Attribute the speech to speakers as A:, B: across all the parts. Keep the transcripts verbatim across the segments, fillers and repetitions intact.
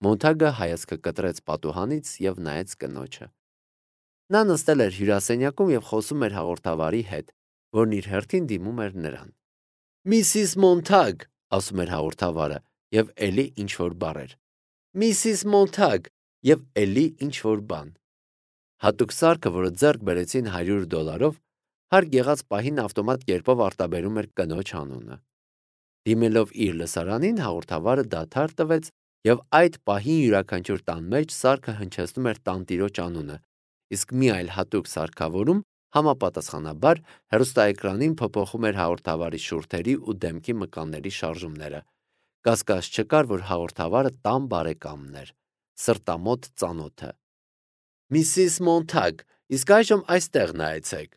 A: Մոնթագը հայացքը կտրեց պատուհանից և նայեց կնոջը։ Նա նստել էր հյուրասենյակում և խոսում էր հաղորդավարի հետ, որն իր հերթին դիմում էր նրան։ «Միսիս Մոնթագ», ասում էր հաղորդավարը, և էլի ինչ-որ բառեր։ «Միսիս Մոնթագ» և էլի ինչ-որ բան։ Հատուկ սարքը, որը ձեռք բերեցին հարյուր դոլարով, հարկ եղած պահին ավտոմատ կերպով արտաբերում էր կնոջ անունը։ Դիմելով իր լսարանին, հաղորդավարը դադար տվեց, և այդ պահին յուրաքանչյուր տան մեջ սարքը հնչեցնում էր տանտիրոջ անունը, իսկ մի այլ հատուկ սարքավորում համապատասխանաբար հեռուստաէկրանին փոփոխում էր հաղորդավարի շուրթերի ու դեմքի մկանների շարժումները։ Կասկած չկար, որ հաղորդավարը տան բարեկամն էր, սրտամոտ ծանոթը։ «Միսիս Մոնթագ, իսկ այժմ այստեղ նայեցեք»։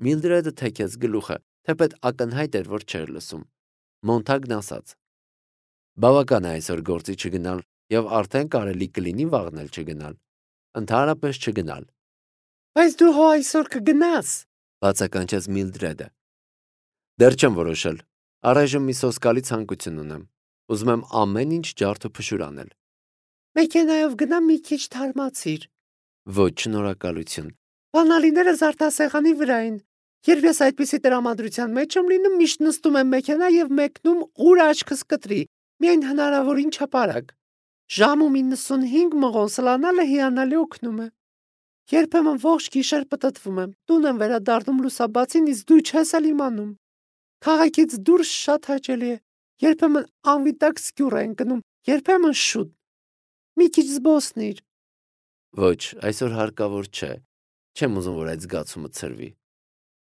A: Միլդրեդը թեքեց գլուխը, թեպետ ակնհայտ էր, որ չէր լսում։ Մոնթագն ասաց. «Բավական է այսօր գործի չգնալ, և արդեն կարելի կլինի վաղն էլ չգնալ։ Ընդհանրապես չգնալ»։ «Բայց դու հո այսօր կգնաս», բացականչեց Միլդրեդը։ «Դեռ չեմ որոշել։ Առայժմ մի սոսկալի ցանկություն ունեմ։ Ուզում եմ ամեն ինչ ջարդ ու փշուր անել»։ «Մեքենայով գնա մի քիչ թարմացիր»։ «Ոչ, շնորհակալություն»։ «Բանալիները զարդասեղանի վրա են։ Երբ ես այդպիսի տրամադրության մեջ եմ լինում, միշտ նստում եմ մեքենա և մեկնում, ուր աչքս կտրի, միայն հնարավոր ինչապարակ։ Ժամում իննսունհինգ մղոն սլանալը հիանալի օգնում է։ Երբեմն ողջ գիշեր պտտվում եմ, տուն եմ վերադառնում լուսաբացին, իսկ դու չես էլ իմանում։ Քաղաքից դուրս շատ հաճելի է։ Երբեմն անվիտակ սկյուռ է ընկնում, երբեմն շուտ։ Մի քիչ զբոսնիր»։ «Ոչ, այսօր հարկավոր չէ։ Չեմ ուզում, որ այդ զգացումը ցրվի։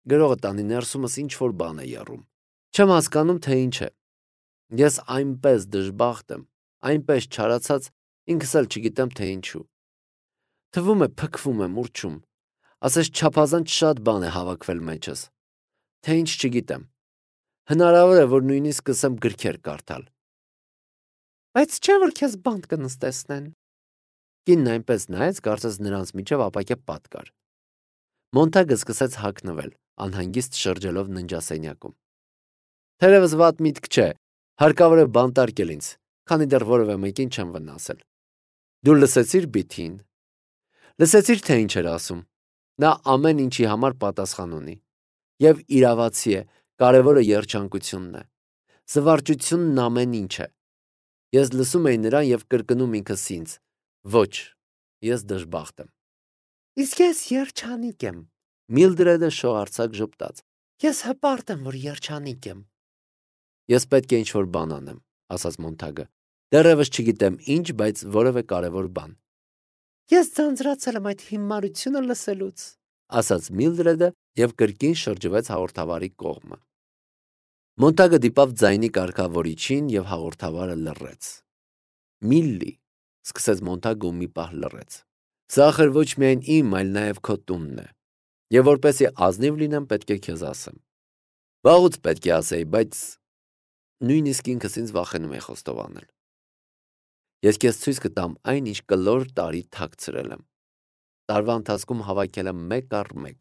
A: Գրողը տանի ներսումս ինչ-որ բան է եռում։ Չեմ հասկանում, թե ինչ է։ Ես այնպես դժբախտ եմ, այնպես չարացած, ինքս էլ չգիտեմ, թե ինչու։ Թվում է փքվում եմ, ուռչում։ Ասես չափազանց շատ բան է հավաքվել մեջս։ Թե ինչ չգիտեմ։ Հնարավոր է, որ նույնիսկ սկսեմ գրքեր կարդալ»։ «Բայց չէ՞ որ քեզ բանտ կնստեցնեն»։ Կինն այնպես նայեց, կարծես նրանց միջև ապակե պատ կար։ Մոնթագը սկսեց հագնվել, անհանգիստ շրջելով ննջասենյակում։ «Թերևս վատ միտք չէ։ Հարկավոր է բանտարկել ինձ, քանի դեռ որևէ մեկին չեմ վնասել»։ «Դու լսեցի՞ր Բիթիին»։ «Լսեցի՞ր, թե ինչ էր ասում։ Նա ամեն ինչի համար պատասխան ունի։ Եվ իրավացի է, կարևորը երջանկությունն է։ Զվարճությունն ամեն ինչ է։ Ես լսում էի նրան և կրկնում ինքս ինձ. ոչ, ես դժբախտ եմ»։ «Իսկ ես երջանիկ եմ»։ Միլդրեդը շողարցակ ժպտաց։ «Ես հպարտ եմ, որ երջանիկ եմ»։ «Ես պետք է ինչ-որ բան անեմ», ասաց Մոնթագը։ «Դեռևս չգիտեմ ինչ, բայց որևէ կարևոր բան»։ «Ես ձանձրացել եմ այդ հիմարությունը լսելուց», ասաց Միլդրեդը և կրկին շրջվեց հաղորդավարի կողմը։ Մոնթագը դիպավ ձայնի կարգավորիչին և հաղորդավարը լռեց։ «Միլլի», սկսեց Մոնթագը ու մի պահ լռեց։ «Սա ախր ոչ միայն իմ, այլ նաև քո տունն է։ Եվ որպեսզի ազնիվ լինեմ, պետք է քեզ ասեմ։ Վաղուց պետք է ասեի, բայց նույնիսկ ինքս ինձ վախենում էի խոստովանել։ Ես քեզ ցույց կտամ այն, ինչ կլոր տարի թաքցրել եմ։ Տարվա ընթացքում հավաքել եմ մեկ առ մեկ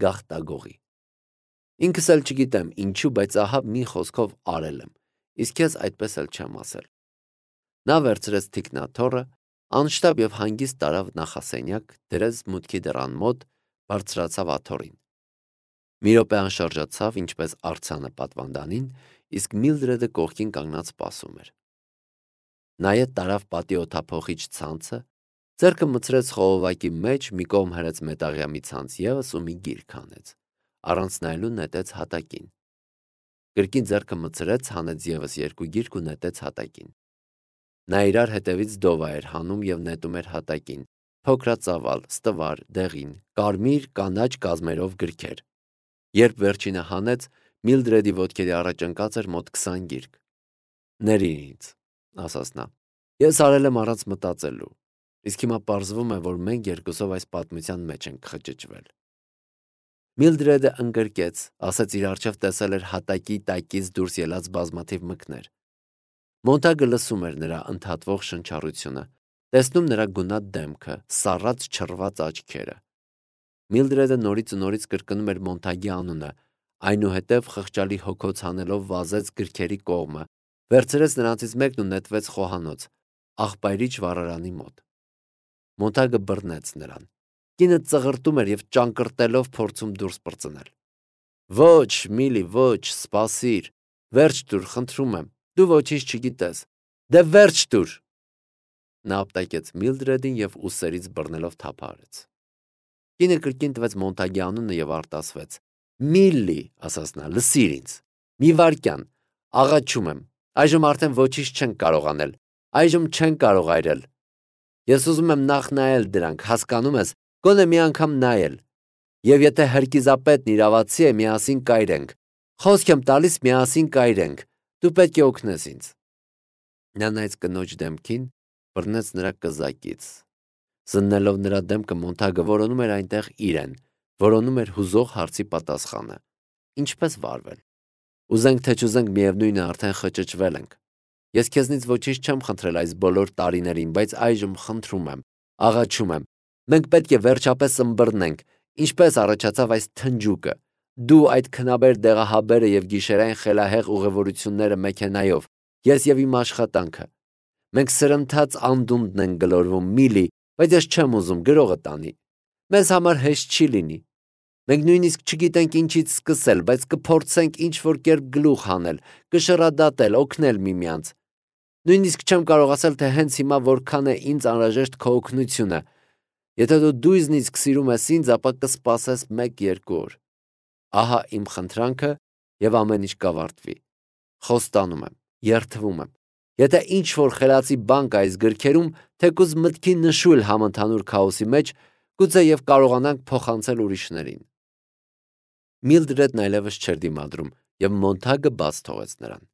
A: գաղտագողի։ Ինքս էլ չգիտեմ ինչու, բայց ահա մի խոսքով արել եմ, իսկ քեզ այդպես էլ չեմ ասել»։ Նա վերցրեց թիկնաթոռը, անշտապ և հանգիստ տարավ նախասենյակ, դրեց մուտքի դռան մոտ, բարձրացավ աթոռին։ Մի րոպե անշարժացավ, ինչպես արձանը պատվանդանին, իսկ Միլդրեդը կողքին կանգնած սպասում էր։ Նայետ տարավ պատի օդափոխիչ ցանցը, ձեռքը մտցրեց խողովակի մեջ, մի կողմ հրեց մետաղյա մի ցանց ևս ու մի գիրք հանեց, առանց նայելու նետեց հատակին։ Կրկին ձեռքը մտցրեց, հանեց ևս երկու գիրք ու նետեց հատակին։ Նա իրար հետևից դովա էր հանում և նետում էր հատակին, փոքրածավալ, ստվար, դեղին, կարմիր, կանաչ կազմերով գրքեր։ Երբ վերջինը հանեց, Միլդրեդի ոտքերի առաջ ընկած էր մոտ քսան գիրք։ «Ների՛ր ինձ», ասաց նա։ «Ես արել եմ առանց մտածելու, իսկ հիմա պարզվում է, որ մենք երկուսով այս պատմության մեջ ենք խճճվել»։ Միլդրեդը ընկրկեց, ասեց իր առջև տեսել էր հատակի տակից դուրս ելած բազմաթիվ մկներ։ Մոնթագը լսում էր նրա ընդհատվող շնչառությունը, տեսնում նրա գունատ դեմքը, սառած չռված աչքերը։ Միլդրեդը նորից ու նորից կրկնում էր Մոնթագի անունը, այնուհետև խղճալի հոգոց հանելով վազեց գրքերի կողմը, վերցրեց նրանցից մեկն ու նետվեց խոհանոց, աղբայրիչ վառարանի մոտ։ Մոնտագը բռնեց նրան։ Կինը ծղրտում էր և ճանկռտելով փորձում դուրս պրծնել։ Ոչ, Միլի, ոչ, սպասիր, վերջ տուր, խնդրում եմ, դու ոչինչ չգիտես, դե վերջ տուր։ Նա ապտակեց Միլդրեդին և ուսերից բռնելով թափահարեց։ Կինը կրկին տվեց Մոնտագի անունը և արտասվեց։ Միլլի, ասաց նա, լսիր ինձ, մի վայրկյան, աղաչում եմ, այժմ արդեն ոչինչ չենք կարող անել, այժմ չենք կարող այրել։ Ես ուզում եմ նախ նայել դրանք, հասկանում ես, գոնե մի անգամ նայել։ Եվ եթե հրկիզապետն իրավացի է, միասին կայրենք։ Խոսք եմ տալիս, միասին կայրենք։ Դու պետք է օգնես ինձ։ Նա նայեց կնոջ դեմքին, բռնեց նրա կզակից։ Զննելով նրա դեմքը Մոնտագը որոնում էր այնտեղ իրեն, որոնում էր հուզող հարցի պատասխանը։ Ինչպես վարվել։ Ուզենք թե չուզենք, միևնույն է, արդեն խճճվել ենք։ Ես քեզնից ոչինչ չեմ խնդրել այս բոլոր տարիներին, բայց այժմ խնդրում եմ, աղաչում եմ։ Մենք պետք է վերջապես ըմբռնենք, ինչպես առաջացավ այս թնջուկը։ Դու այդ քնաբեր դեղահաբերը եւ գիշերային խելահեղ ուղևորությունները մեքենայով, ես եւ իմ աշխատանքը։ Մենք սրընթաց անդունդն են գլորվում, Միլի, բայց ես չեմ ուզում գրողը տանի։ Մեզ համար հեշտ չի լինի։ Մենք նույնիսկ չգիտենք ինչից սկսել, բայց կփորձենք ինչ-որ կերպ գլուխ հանել, կշռադատել, օգնել միմյանց։ Նույնիսկ չեմ կարող ասել, թե հենց հիմա որքան է ինձ անհրաժեշտ քո օգնությունը։ Եթե դու դույզնիցք սիրում ես ինձ, ապա կսպասես մեկ-երկու օր։ Ահա իմ խնդրանքը եւ ամեն ինչ կավարտվի։ Խոստանում եմ, երդվում եմ։ Եթե ինչ-որ խելացի բան կա այս գրքերում, թեկուզ մտքի նշույլ համընդհանուր քաոսի մեջ, գուցե եւ կարողանանք փոխանցել ուրիշներին։ Միլդրեդն այլևս չէր դիմադրում եւ Մոնտագը բաց թողեց նրան։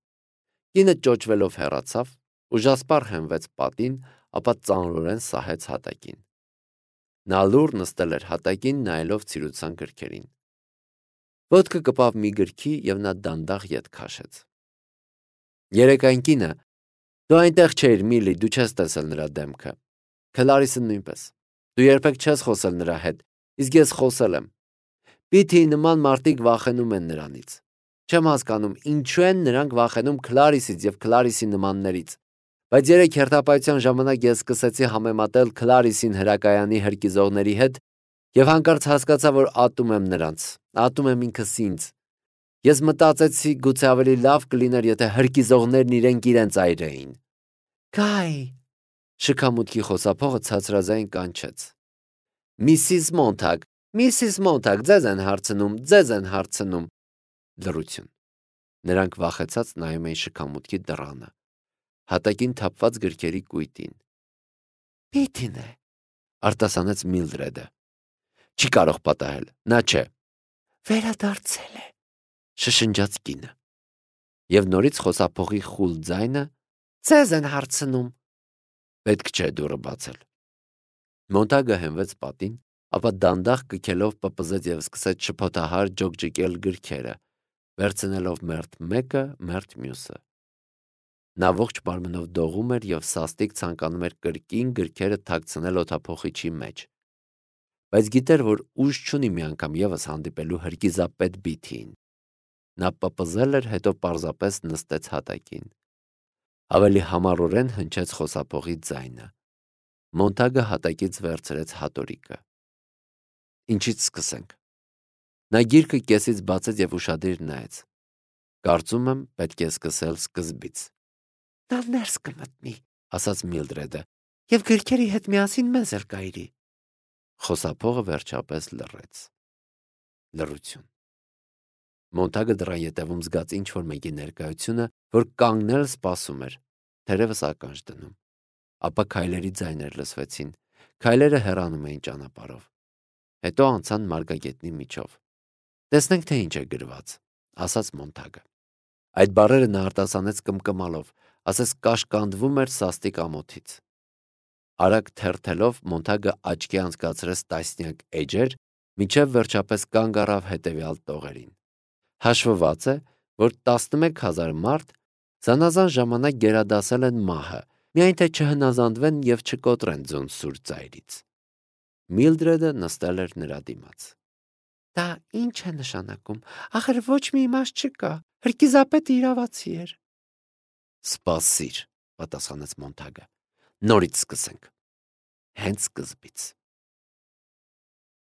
A: Կինը ճոճվելով հեռացավ, ուժասպառ հենվեց պատին, ապա ծանրորեն սահեց հատակին։ Նա լուռ նստել էր հատակին, նայելով ցիրուցան գրքերին։ Ոտքը կպավ մի գրքի եւ նա դանդաղ ետ քաշեց։ Երեկային կինը, դու այնտեղ չէիր, Միլի, դու չես տեսել նրա դեմքը։ Քլարիսը նույնպես։ Դու երբեք չես խոսել նրա հետ, իսկ ես խոսել եմ։ Պիթիի նման մարդիկ վախենում են նրանից։ Չեմ հասկանում, ինչու են նրանք վախենում Քլարիսից եւ Քլարիսի նմաններից։ Բայց երեք հերթապահության ժամանակ ես սկսեցի համեմատել Քլարիսին հրակայանի հրկիզողների հետ եւ հանկարծ հասկացա, որ ատում եմ նրանց, ատում եմ ինքս ինձ։ Ես մտածեցի, գուցե ավելի լավ կլիներ, եթե հրկիզողներն իրենք իրենց այրեին։ Գայ, շքամուտքի խոսափողը ցածրազայն կանչեց։ Միսիս Մոնտագ, Միսիս Մոնտագ, ձեզ են հարցնում, ձեզ են հարցնում։ Լռություն։ Նրանք վախեցած նայում էին շքամուտքի դռանը, հատակին թափված գրքերի կույտին։ Պիթին է, արտասանեց Միլդրեդը։ Չի կարող պատահել, նա չէ։ Վերադարձել է, շշնջաց կինը։ Եվ նորից խոսափողի խուլ ձայնը ձեզ են հարցնում։ Պետք չէ դուռը բացել։ Մոնտագը հենվեց պատին, ապա դանդաղ կքելով պպզեց եւ սկսեց շփոթահար ջոկջիկել գրքերը, վերցնելով մերթ մեկը, մերթ մյուսը։ Նա ողջ մարմնով դողում էր եւ սաստիկ ցանկանում էր կրկին գրքերը թաքցնել օդափոխիչի մեջ։ Բայց գիտեր, որ ուժ չունի մի անգամ եւս հանդիպելու հրկիզապետ Բիթին։ Նա պպզել էր, հետո պարզապես նստեց հատակին։ Ավելի համառորեն հնչեց խոսափողի ձայնը։ Մոնտագը հատակից վերցրեց հատորիկը։ Ինչից սկսենք։ Նա գիրքը կեսից բացեց եւ ուշադիր նայեց։ Կարծում եմ, պետք է սկսել սկզբից։ Նա ներս կմտնի, ասաց Միլդրեդը, եւ գրքերի հետ միասին մեզ էլ կայրի։ Խոսափողը վերջապես լռեց։ Լռություն։ Մոնտագը դռան ետևում զգաց ինչ-որ մեկի ներկայությունը, որ կանգնել սպասում էր, թերևս ականջ դնում։ Ապա քայլերի ձայներ լսվեցին, քայլերը հեռանում էին ճանապարհով։ Հետո անցան մարգագետնի միջով։ Տեսնենք, թե ինչ է գրված, ասաց Մոնտագը։ Այդ բառերը նա արտասանեց կմկմալով, ասես կաշկանդվում էր սաստիկ ամոթից։ Արագ թերթելով Մոնտագը աչքի անցկացրեց տասնյակ էջեր, մինչև վերջապես կանգ առավ հետևյալ տողերին։ Հաշվված է, որ տասնմեկ հազար մարդ զանազան ժամանակ գերադասել են մահը, միայն թե չհնազանդվեն եւ չկոտրեն ձուն սուր ծայրից։ Միլդրեդը նստել էր նրա դիմաց։ Դա ինչ է նշանակում, ախր ոչ մի իմաստ չկա, հրկիզապետը իրավացի էր։ Սպասիր, պատասխանեց Մոնտագը։ Նորից սկսենք։ Հենց սկզբից։